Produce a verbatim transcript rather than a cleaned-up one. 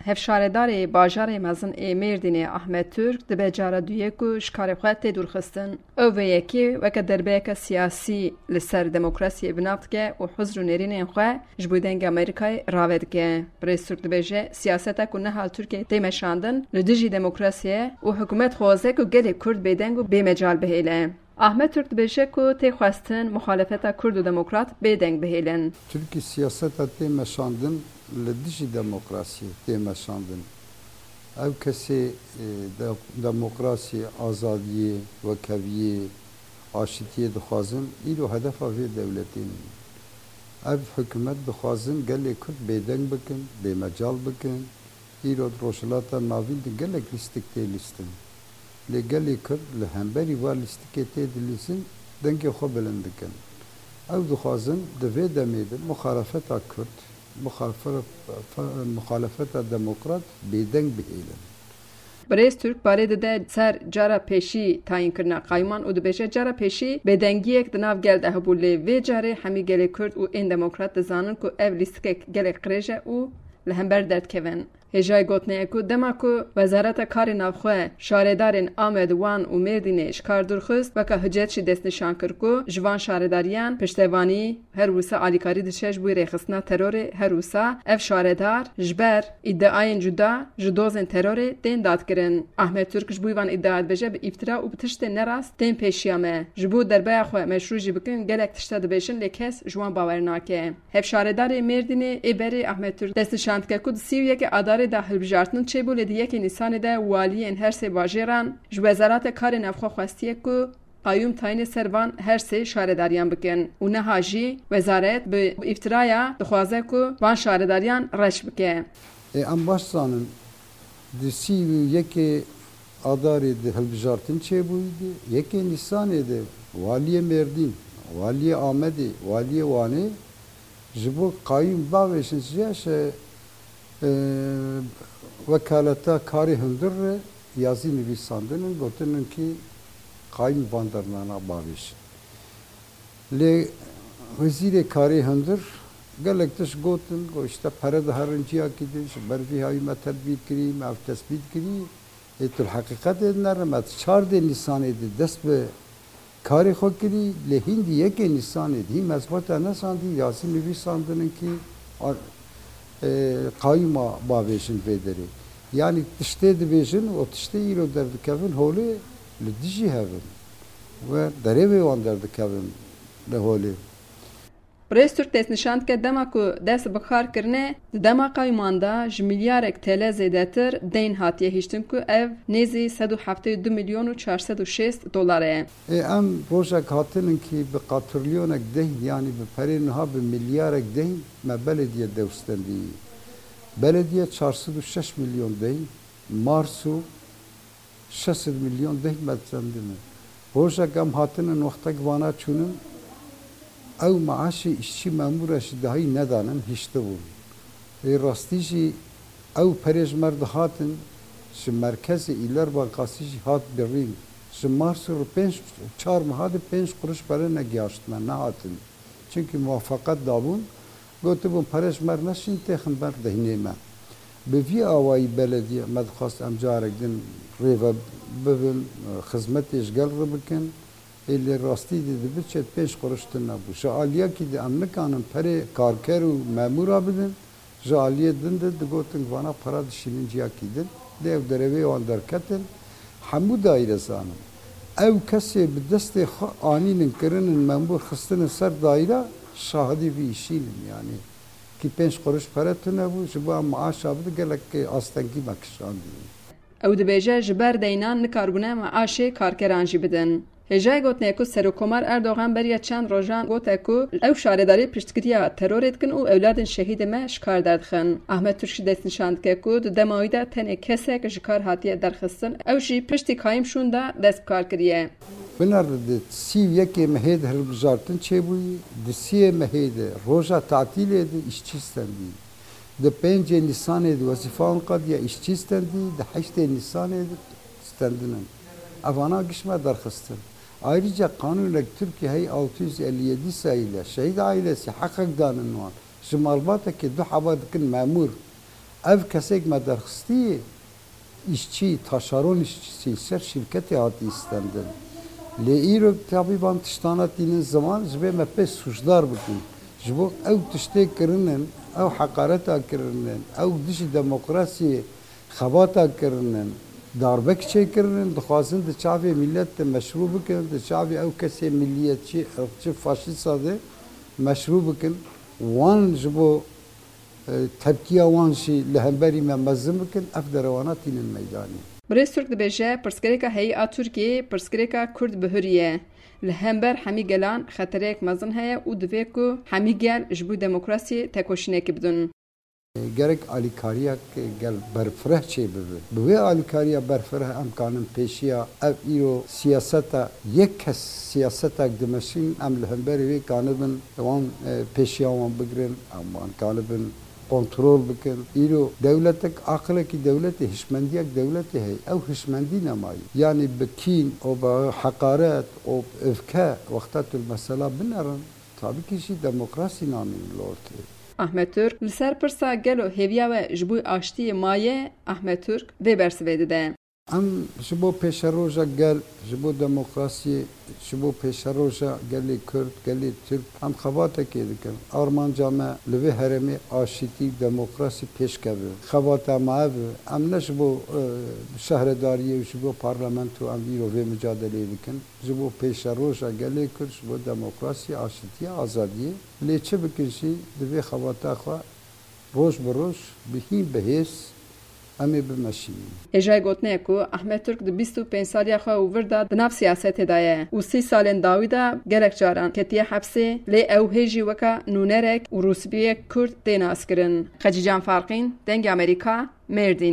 Hevşaredarê bajarê mezin ê Mêrdînê Ahmet Türk dibe cara duyê ku ji karê xwe tê dûrxistin. Ew vê yekê weke derbeyeke siyasî li ser demokrasiyê bi nav dike û huzr û nêrînên xwe ji bo Dengê Amerîkayê rave dike. Birêz Türk dibêje, siyaseta ku niha li Tirkiyeyê tê meşandin li dijî demokrasiyê ye û hikûmet xwaze ku gelê Kurd bêdeng û bêmecal bihêle. Ahmet Türk dibêje ku tê xwestin muxalefeta Kurd û demokrat bêdeng bihêlin. Tirkî siyaseta tê meşandin li dijî demokrasiyê tê meşandin. Ew kesê, e, de-, demokrasiyê, azadiyê, wekheviyê, aşitiyê dixwazin, îro hedefa vê dewletê nîne. Ev hikûmet dixwazin gelê Kurd bêdeng bikin, bêmecal bikin. Îro di Rojhilata Navîn de gelek lîstik tê lîstin. Lê gelê Kurd li hemberî van lîstikê tê dilîzin, dengê xwe bilind dikin. Ew dixwazin di vê demê de muxalefeta Kurd, muxalfe-, fe-, muxalefeta demokrat bêdeng bihêlin. Birêz Türk barê dide ser cara pêşî tayînkirina qayûman û dibêje, cara pêşî bêdengiyek di nav gel de hebû, lê vê carê hemî gelê Kurd û ên demokrat dizanin ku ev lîstikek gelek qirêj e û li hember derdikevin. Hêjayî gotinê ye ku dema ku Wezareta Karê Navxwe şaredarên Amed, Wan û Mêrdînê ji kar dûr xist, weke hicet jî destnîşan kir ku ji van şaredariyan piştevanî, her wisa alîkarî diçe ji bo rêxistina terorê, her wisa ev şaredar ji ber îdiayên cuda ji dozên terorê tên dadkirin. Ahmet Türk ji bo van îdia dibêje, bi îftira û bi tiştên nerast tên pêşiya me. Ji bo derbeya xwe meşrû jî bikin, gelek tişta dibêjin, lê kes ji wan bawer nake. Hevşaredarê Mêrdînê ê berê Ahmet Türk destnîşan dike ku di sî û yekê Adarê de hilbijartin çêbû, lê di yekê Nîsanê de waliyên her sê bajêran ji Wezareta Karê Navxwe xwestiye ku qayûm tayînê ser van her sê şaredariyan bikin û niha jî wezaret bi îftiraya dixwaze ku van şaredariyan reş bike. Ê, em baş zanin, di sî û yekê Adarê de hilbijartin çêbûyî de, yekê Nîsanê de waliyê Mêrdîn, waliyê Amedê, waliyê Wanê ji bo qayûm bavêjin ji ya şe, e, wekaleta karê hundir re yazî nivîsandin in, gotin in kî qayûm van dernana bavêjin. Lê Wezîrê Karê Hundir gelek tişt gotin, got, işte, pere diherin ciyakî din, ji ber vî hayî me tedbîr kirî, me ev tespît kirî. Ê tu li heqîqetê dinere, me di çardê Nîsanê de dest bi karê xwe kirî, lê hîn di yekê Nîsanê de hîn me zibata nesandî, yazî nivîsandin in kî, a-, e, qayûma bavêjin vê derê. Yanî tiştê dibêjin û tiştê îro derdikevin holê li dijî hev in. Ve derê wê wan derdikevin li holê. Birêz Türk destnîşan dike, dema ku dest bi kar kirine, di dema qayûman de ji milyarek T L zêdetir deyn hatiye hiştin ku ev nêzî sed û heftê û du milyon û çar sed û şêst dolar e. Ê, em rojek hatinin kî bi qatrilyonek deyn, yanî bi perê niha bi milyarek deyn me belediye dew stendî. Belediye çar sed û şeş milyon deyn, Marso şeş sed milyon deyn me stendine. Rojek em hatinin wextek vana çûnin, ew maaşê îşçî memûra jî dahî nedanin, hiştibûn. Ê rastî jî ew perê ji me re dihatin, ji merkezê Îler Bankasî jî hat birîn. Ji Marso re pênc, çar meha de pênc quruş pere negihaşt me, nehatin. Çimkî muwafaqet dabûn, gotibûn, pere ji me re neşîn, têxin ber deynê me. Bi vî awayî belediye me dixwest em carek din rêve bibin, xizmetê ji gel re bikin. Ê lê rastî de dibe çet pênc quruş tune bû. Ji aliyekî de em nikanin perê karker û memûra bidin, ji aliyê din de digotin vana para dişînin ciyakî din. Lê ew derewê wan derketin. Hemû daîre zanin. Ew kesê bi destê xwe anînin kirinin memûr xistinin ser daîre, şahidî vî îşînin. Yanî kî pênc quruş pere tune bû, ji bo em maaşa bide gelek astengî me kişandî. Ew dibêje, ji ber deynan nikarbûne meaşê karkeran jî bidin. Hêjayê gotinê ku Serokkomar Erdogan beriya çend rojan gote ku ew şaredarî piştgiriya terorê dikin û ewladên şehîdê me ji kar derdixin. Ahmet Türk jî destnîşan dike ku di dema wî de tenê kesek ji kar hatiye derxistin, ew jî piştî kayîm şûn de dest bi kar kiriye. Binêre di sî û yekê mehê de hilbijartin çêbûyî, di siyê mehê de roja tatîlê de îşçî stendî. Di pêncê Nîsanê de wezîfa wan qediya, îşçî stendî, di heştê Nîsanê de stendin in. Evana giş me derxistin. Ayrıca qanûnek Tirkiyê hey altı yüz elli yedi sayılı şehîd ailesi heqek danin wan. Ji malbatekê du heba dikin memûr. Ev kesêk me derxistî, îşçî, taşaron îşçisî, ser şîrketê hatî îstendin. Lê îro tabî van tiştana tînin ziman, ji vê me pê sûcdar bikin. Ji bo ew tiştê kirinin, ew heqareta kirinin, ew dijî demokrasiyê xebata kirinin, darbek çêkirinin, dixwazin di çavê milet de meşrû bikin, di çavê ew kesê milliyetçî, irqçî, faşîsta de meşrû bikin. Wan ji bo, e, tepkiya wan jî li hemberî me mezin bikin, ev derewana tînin meydanê. Birêz Turk dibêje, pirsgirêka heyî a Tirkiyeyê pirsgirêka Kurd bihuriye. Li hember hemî gelan xetereyek mezin heye û divê ku hemî gel ji bo demokrasiyê tekoşînekê bidin. Gerek alîkariyek gel berfireh çêbibe. Bi wê alîkariya berfireh em kanin pêşiya ev îro siyaseta yek kes siyasetek dimeşîn, em li hemberî wê kanibin wan, e, pêşiya wan bigirin, em wan kanibin kontrol bikin. Îro dewletek, aqilekî dewletê, hişmendiyek dewletê heye. Ew hişmendî nemayî. Yanî bi kîn û bi heqaret û bi öfke wexta tu li mesela binerin, tabî kî jî demokrasî namîn li ortê. Ahmet Türk, li ser pirsa gelo hêviya we ji bo aştiyê maye, Ahmet Türk vê bersivê dide. Em ji bo pêşeroja gel, ji bo demokrasiyê, ji bo pêşeroja gelê Kurd, gelê Tirk, em xebatekê dikin. Armanca me li vê herêmê aşitî, demokrasî pêşkeve. Xebata me ev e. Em ne ji bo, e, şehredariyê û ji bo parlamento em vîro vê micadeleyê dikin. Ji bo pêşeroja gelê Kurd, ji bo demokrasiyê, aşitiyê, azadiyê. Lê çi bikin jî, divê xebata xwe roj bi roj, bi hîn bi hêz em ê bimeşînin. Hêjayê gotinê ye ku Ahmet Türk di bîst û pênc saliya xwe û vir de di nav siyasetê de ye û sî salên dawî de gelek caran ketiye hepsê, lê ew hê jî weka nûnerek û rûspiyek Kurd tê naskirin. Xecîcan Farqîn, Dengê Amerîka, Mêrdîn.